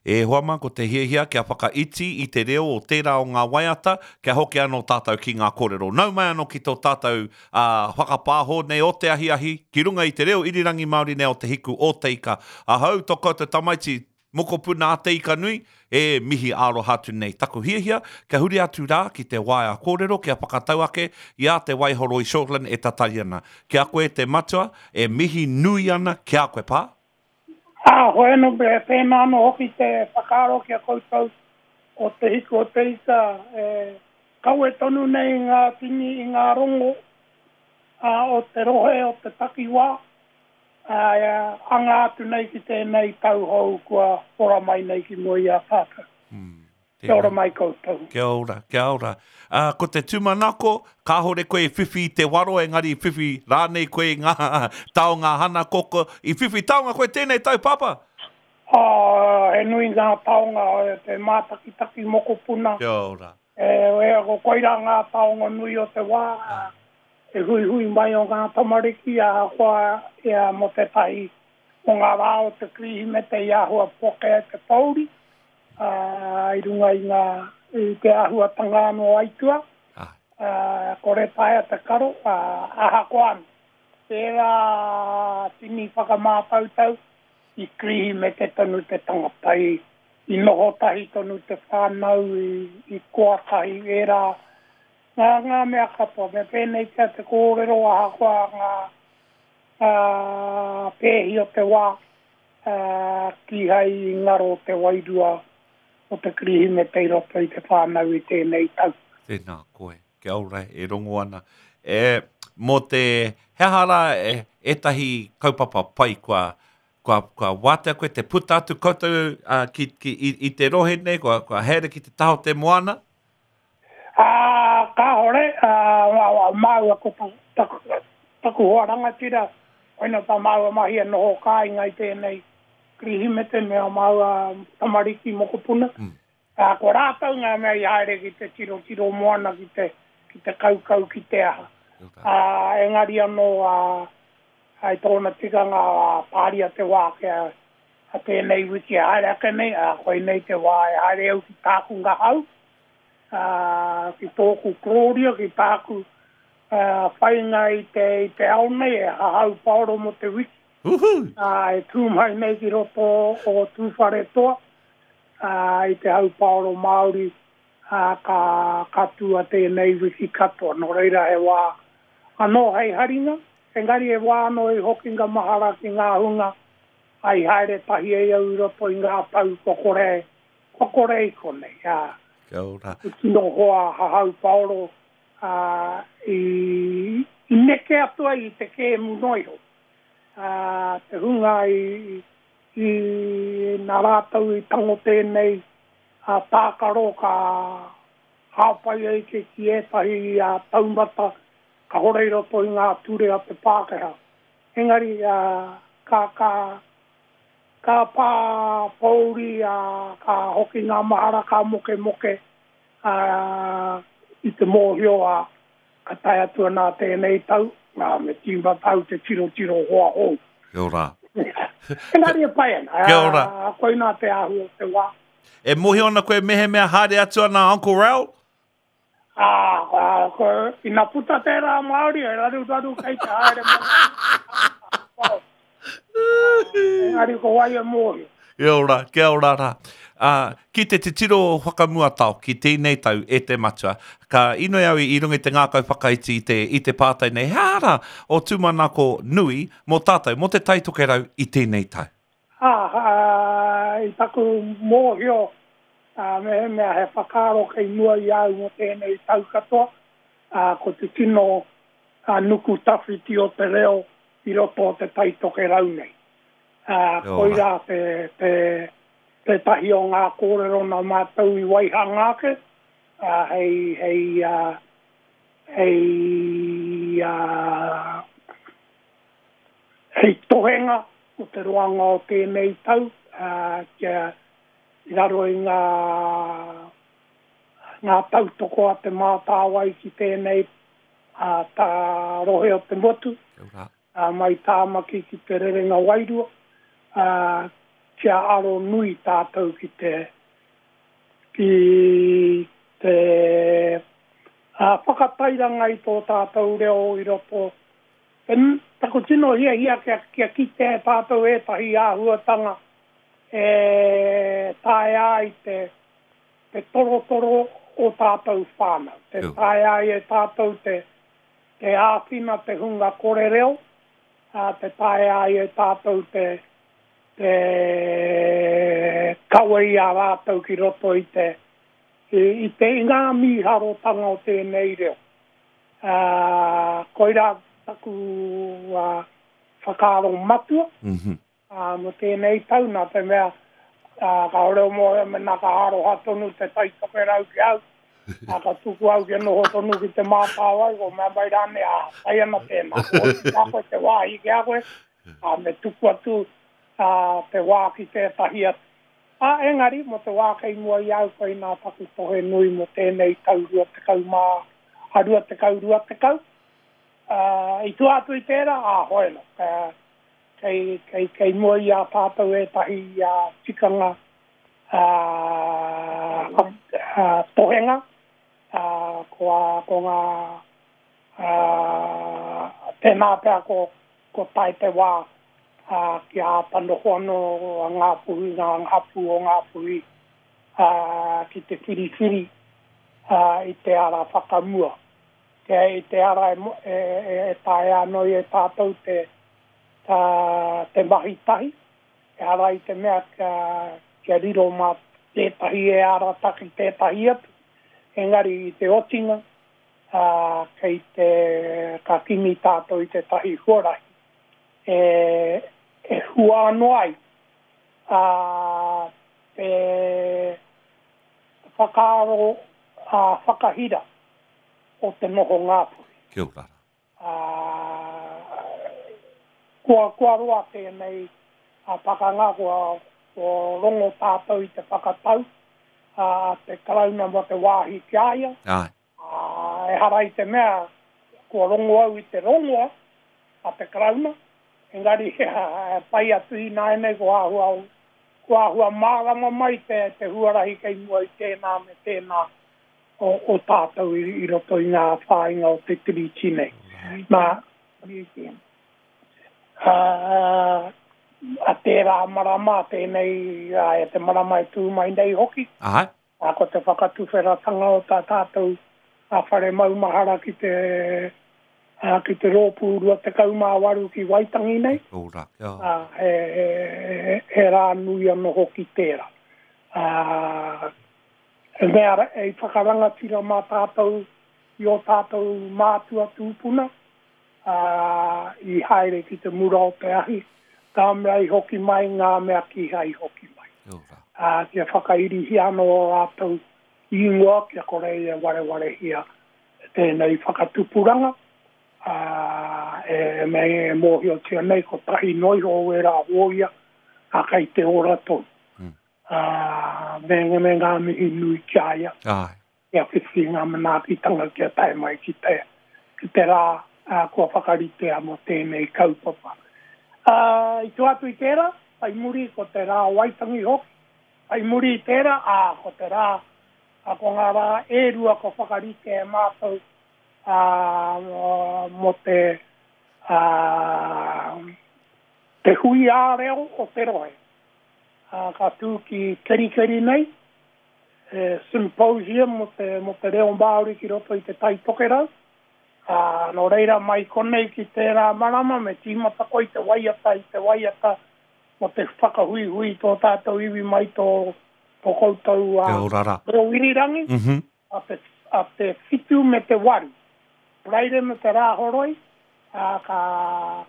E hoa mā, ko te hiahia kia whakaiti i te reo o tērā o ngā waiata, kia hoki anō tātou ki ngā kōrero. Nau mai anō ki tō tātou whakapāho nei o te ahiahi, ki runga i te reo irirangi Māori nei o Te Hiku o Te Ika. Ahau, tō koutou tamaiti, mokopuna a Te Ika Nui, e mihi aroha atu nei. Taku hiahia, kia huri atu rā ki te waea kōrero kia whakatau ake i a Te Waihoroi Shortland e tatari ana. Ki a koe te matua, e mihi nui ana ki a koe, pā. Ā, hoi anō, me pēnā anō hoki te whakaaro ki a koutou o Te Hiku o Te Ika, e kawe tonu nei ngā tini i ngā rongo o te rohe, o te takiwā, ā, e anga atu nei ki tēnei tau hou kua ora mai nei ki mua i a tātou. Kia ora mai koutou. Kia ora, kia ora. Ā, ko te tūmanako, kāhore koe i whiwhi i te waro, engari i whiwhi rānei koe i ngā taonga hana koko. I whiwhi taonga koe tēnei tau, Pāpā? Ā, he nui ngā taonga, te mātakitaki mokopuna. Kia ora. E, e, ko koirā ngā taonga nui o te wā, te huihui mai o ngā tamariki, ahakoa ia mō tētahi o ngā rā o te Kirihimete i āhua poke ai te pōuri, ā, i runga i ngā, i te āhuatanga anō aituā, ā, kore taea te karo, ā, ahakoa anō, tērā tini whakamātautau i Kirihimete tonu te tangata, i, i noho tahi tonu te whānau, i, i koa tahi ērā, ngā, ngā mea katoa. Me pēnei pea te kōrero ahakoa ngā, ngā pēhi o te wā, ā, kīhai i ngaro te wairua o te Kirihimete i roto i te whānau i tēnei tau. Tēnā koe. Kia ora, e rongo ana. E, mō te, he aha rā e, ētahi kaupapa pai kua, kua, kua wātea koe te puta atu koutou uh, ki, ki, i, i te rohe nei, kua, kua haere ki te taha o te moana? Ā, kāore, ā, māua ko taku, taku hoa rangatira, koina tā māua mahi e noho kāinga i tēnei Kirihimete me ā māua tamariki mokopuna. Ā, ko rātou ngā mea i haere ki te tirotiro moana, ki te, ki te kaukau, ki te aha. Ā, engari anō, ā, i tōna tikanga, ā, tāria te wā kia, a tēnei wiki e haere ake nei, ā, koinei te wā e haere au ki tāku ngahau, ā, ki tōku korōria, ki tāku whainga i te, i te ao nei, e hahau paoro mō te wiki. Uhu! Ā, e tū mai nei ki roto o Tūwharetoa, ā, i te hau paoro Māori, ā, ka, ka tua tēnei wiki katoa. Nō reira he wā anō hei haringa, engari he wā anō i hokinga mahara ki ngā hunga i haere tahi ai au i roto i ngā tau kua kore Kua kore i konei, ā. Kia ora. Te tino hoa hahau paoro, ā, i, i neke atu ai i te kēmu noa iho. Ā, te hunga i, i, nā rātou i tango tēnei, ā, tākaro ka hāpai ai ki, ki ētahi, ā, taumata kāore i roto i ngā ture a te Pākehā. Engari, ā, ka, ka, Ka pā pōuri, ā, ka hoki ngā mahara, ka mokemoke, ā, i te mōhio, ā, ka tae atu ana tēnei tau, ā, me tīmata au te tirotiro hoa hou. Kia ora. Engari e pai ana. Kia ora. Ā, koinā te āhua o te wā. E mōhio ana koe mehemea haere atu ana a Uncle Raoul? Ā, ā, ko, ina puta tērā Māori, he raruraru kei te haere mai. Engari ko wai e mōhio. Kia ora, kia ora rā. Ā, ki te titiro whakamua tao ki tēnei tau e te matua, ka inoi au i runga i te ngākau whakaiti i te, i te pātai nei, he aha rā o tūmanako nui mō tātou, mō Te Tai Tokerau i tēnei tau? Ā, ā, i taku mōhio, ā, mehemea he whakaaro kei mua i a au mō tēnei tau katoa, ā, ko te tino, ā, nuku tawhiti o te reo i roto o Te Tai Tokerau nei. Ā, koirā te, te, tētahi o ngā kōrero nā mātou i waihanga ake, ā, hei, hei, ā, hei, ā, Hei tohenga o te roanga o tēnei tau, kia i raro i ngā ngā tautoko a Te Mātāwai ki tēnei tā rohe o te motu, mai Tāmaki ki Te Rerenga Wairua, kia aro nui tātou ki te ki te whakatairanga i tō tātou reo i roto Taku tino hiahia kia kia kitea e tātou ētahi āhuatanga e taea ai te te torotoro o tātou whānau, te taea ai e tātou te te āwhina te hunga kore reo, ā, te taea ai e tātou te te kawe i a rātou ki roto i te i te i ngā mīharotanga o tēnei reo. Ā, koirā taku whakaaro matua mō tēnei tau, nā te mea, kāore o mōhio mēnā ka aroha tonu Te Tai Tokerau ki au, ā, ka tuku au kia noho tonu ki Te Mātāwai, ko mea mai rānei, ā, pai ana tēnā, ko oti ki a koe te wāhi ki a koe, ā, me tuku atu te wā ki tētahi atu. Ā, engari, mō te wā kei mua i a au koinā taku tohe nui mō tēnei tau 20, ā, 20, 20. Ā, i tua atu i tērā, ā, hoi anō, kei, kei, kei mua i a tātou ētahi tikanga, ā, ā, tohenga, ā, ko ā, ko ngā, ā, tēnā pea ko, Kua tae te wā kia āta noho anō a Ngāpuhi, ngā hapū o Ngāpuhi ki te whiriwhiri i te ara whakamua. Kia i te ara e taea anō e tātou te mahi tahi, ehara i te mea kia riro mā tētahi e arataki tētahi atu, engari i te otinga ā, kei te, ka kimi tātou i tētahi huarahi e, e hua anō ai, ā, te whakaaro ā, whakahira o te noho Ngāpuhi. Kia ora rā. Ā, kua, kua roa tēnei pakanga, kua, kua rongo tātou i te whakatau a te Karauna mō te wāhi ki a ia. Āe. Ā, ehara i te mea kua rongo au i te rongoa a te Karauna, engari e pai atu ināianei kua āhua, kua āhua mārama mai te, te huarahi kei mua i tēnā me tēnā o, o tātou i, i roto i ngā whāinga o te Tiriti nei. Nā, Museum. Ā, a tērā marama, tēnei, ā, e te marama e tū mai nei hoki. Āe. Ā, ko te whakatuwheratanga o tā tātou whare maumahara ki te, ā, ki te Rōpū 28 ki Waitangi nei. Kia ora, kia. Ā, he, he, he rā nui anō hoki tērā. Ā, he mea i whakarangatira mā tātou i ō tātou mātua tūpuna, ā, i haere ki te mura o te ahi, ngā mea i hoki mai, ngā mea kīhai i hoki mai. Kia ora. Ā, kia whakairihia anō ō rātou ingoa kia kore e warewarehia tēnei whakatupuranga, ā, e, e mōhiotia nei kotahi noa iho o ērā hōia, ā, kei te ora tonu. Ā, me, me ngā mihi nui ki a ia. Āe. Kia whiwhi ngā manaakitanga kia tae mai ki te, ki te rā kua whakaritea mō tēnei kaupapa. Ā, i tua atu i tērā, whai muri ko te rā o Waitangi hoki, whai muri i tērā, ā, ko te rā, ā, ko ngā rā e rua kua whakaritea e mātou, ā, mō te, ā, te hui ā-reo o te rohe, ā, ka tū ki Kerikeri nei, He symposium mō te, mō te reo Māori ki roto i Te Tai Tokerau. Ā, nō reira mai konei ki tērā marama me tīmata koe i te waiata, i te waiata mō te whakahuihui i tō tātou iwi mai tō, tō koutou Kia ora rā. reo irirangi, a te, a te whitu me te waru. Paraire me te Rāhoroi, ā, ka,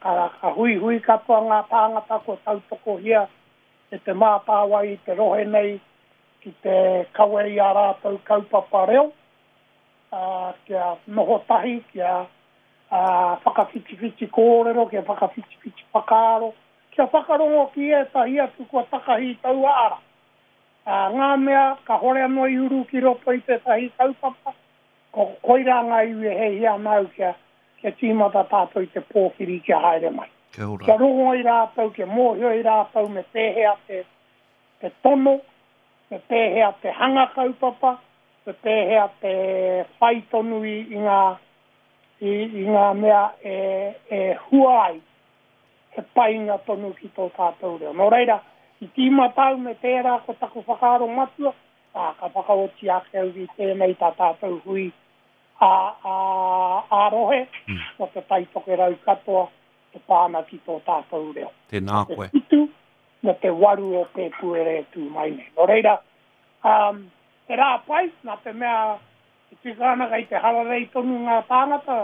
ka, ka huihui katoa ngā tāngata kua tautokohia e Te Mātāwai i te rohe nei ki te kawe i ā rātou kaupapa reo, ā, kia noho tahi, kia whakawhitiwhiti kōrero, kia whakawhitiwhiti whakaaro, kia whakarongo ki ētahi atu kua takahi i taua ara. Ā, ngā mea kāhore anō i uru ki roto i tētahi kaupapa, ko koirā ngā iwi e hiahia ana au kia, kia tīmata tātou i te pōwhiri kia haere mai. Kia ora. Kia rongo ai rātou, kia mōhio ai rātou me pēhea te. te tono, me pēhea te hanga kaupapa, me pēhea te whai tonu i, i ngā, i, i ngā mea e, e hua ai he painga tonu ki tō tātou reo. Nō reira, i tīmata au me tērā ko taku whakaaro matua, ā, ka whakaoti ake au i tēnei tā tātou hui ā, ā, ā-rohe mō Te Tai Tokerau katoa e pā ana ki tō tātou reo. Tēnā koe. Te whitu me te waru o Pēpuere e tū mai nei. Nō reira, ā, he rā pai, nā te mea e tika ana kei te hararei tonu ngā tāngata,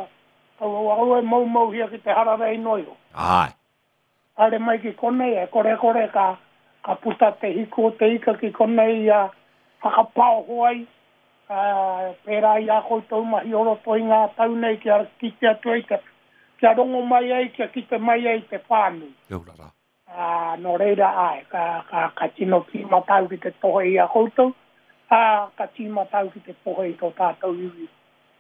kaua au e moumouhia ki te hararei noa iho. Āe. Haere mai ki konei, e korekore ka, ka puta te hiku o te ika ki konei ia whakapaoho ai, ā, pērā i ā koutou mahi o roto i ngā tau nei kia kite atu ai te, kia rongo mai ai, kia kite mai ai te whānui. Kia ora rā. Ā, nō reira, āe, ka, ka, ka tino tīmata au ki te tohe i a koutou, ā, ka tīmata au ki te tohe i tō tātou iwi,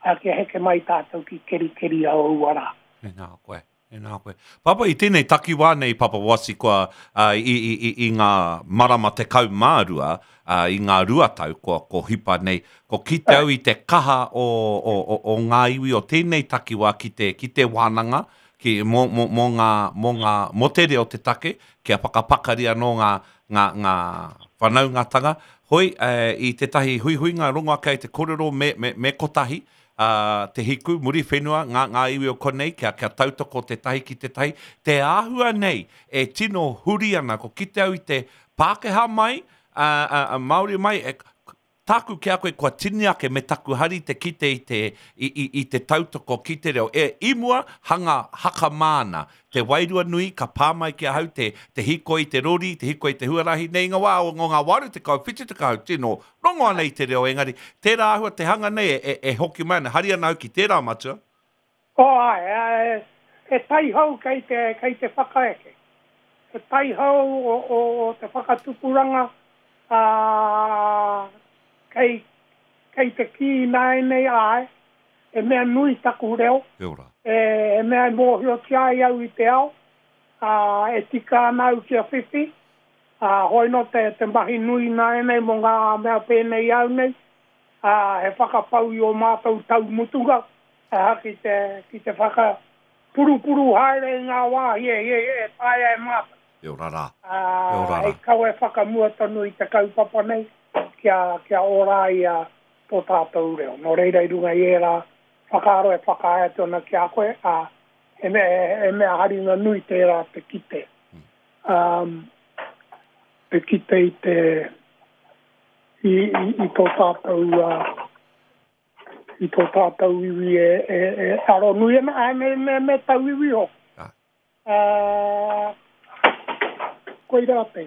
ā, kia heke mai tātou ki Kerikeri a aua rā. Tēnā koe. Tēnā koe. Papa, i tēnei takiwā nei, Papa Wasi, kua, ā, i, i, i, i ngā marama 12, ā, i ngā 2 tau kua, ko hipa nei, ko kite au i te kaha o, o, o, o ngā iwi o tēnei takiwā ki te, ki te wānanga, ki, mō, mō, mō ngā, mō ngā, mō te reo te take, kia whakapakari anō ngā, ngā, ngā whanaungatanga. Hoi, e, i tētahi huihuinga rongo ake ai te korero me, me, me kotahi, ā, Te Hiku, Muriwhenua, ngā, ngā iwi o konei, kia, kia tautoko tētahi ki tētahi. Te āhua nei e tino huri ana, ko kite au i te Pākehā mai, ā, ā, ā, Māori mai, e, tāku ki a koe kua tini ake me taku hari te kite i te, i, i, i te tautoko ki te reo. E, i mua, hanga hakamā ana. Te wairua nui ka pā mai ki ahau te, te hikoi i te rori, te hikoi i te huarahi, nei i ngā wā o ngā 80, 70, tino rongo ana i te reo, engari tērā āhua te hanga nei e, e, e hoki mai ana, hari ana au ki tērā matua. Oh, āe, āe, he taihou kei te, kei te whakaeke. He taihou o, o, o te whakatupuranga, ā, kei, kei te kī ināianei, āe, he mea nui taku reo, Kia ora. e, he mea e mōhiotia ai au i te ao, ā, e tika ana au kia whiwhi, Ā, hoi nō te, te mahi nui ināianei mō ngā mea pēnei i au nei, ā, he whakapau i ō mātou tau mutunga, aha, ki te, ki te whakapurupuru haere i ngā wāhi e, e, e taea e mātou. E ora rā. Ā, E ora rā. hei kawe whakamua tonu i te kaupapa nei, kia, kia ora ai a, tō tātou reo. Nō reira i runga i ērā whakaaro e whakaae atu ana ki a koe, ā, he mea, he mea haringa nui tērā te kite. Um, te kite i te i, i, i tō tātou uh, i tō tātou iwi e, e, e aro nui ana, ā, me, me, me tau iwi hoki. Ah. Uh, koirā te.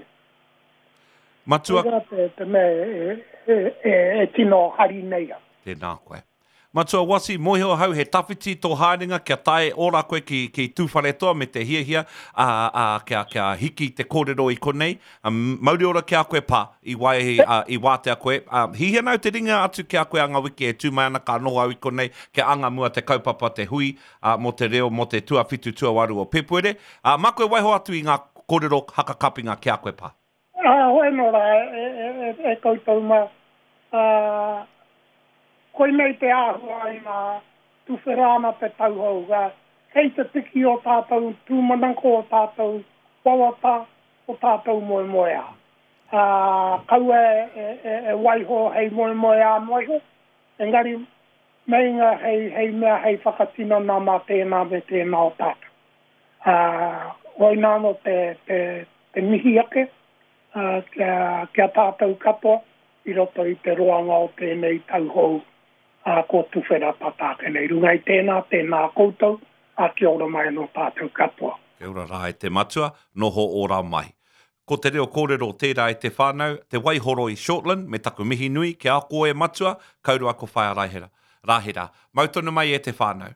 Matua. Koirā te, te mea e, e, e, e tino hari nei au. Tēnā koe. Matua Wasi, mōhio ahau he tawhiti tō haerenga kia tae ora koe ki, ki Tūwharetoa me te hiahia, ā, ā, kia, kia hiki te kōrero i konei. Mauri ora ki a koe, Pa, i wai, ā, i wātea koe. Ā, hihia ana au te ringa atu ki a koe a ngā wiki e tū mai ana ka noho au i konei kia anga mua te kaupapa te hui, ā, mō te reo mō te tuawhitu tuawaru o Pēpuere. Ā, mā koe waiho atu i ngā kōrero hakakapinga ki a koe, Pa. Ā, hoi anō rā, e, e, e, e koutou mā, ā, koinei te āhua ina tuwhera ana te tauhou, ā, kei te piki ō tātou tūmanako, ō tātou wawata, ō tātou moemoeā. Ā, kaua e, e, e, e waiho hei moemoeā noa iho, engari meinga hei, hei mea hei whakatinana mā tēnā me tēnā o tātou. Ā, koinā anō te, te, te mihi ake, ā, kia, ki a tātou katoa i roto i te roanga o tēnei tau hou, ā, kua tuwhera tata ake nei. Runga i tēnā, tēnā koutou, ā, kia ora mai anō tātou katoa. Kia ora rā e te matua, noho ora mai. Ko te reo kōrero tērā e te whānau, te waihoro i Shortland me taku mihi nui ki a koe matua, kaurua ko Whaea Raihera. Rahera. Mau tonu mai e te whānau.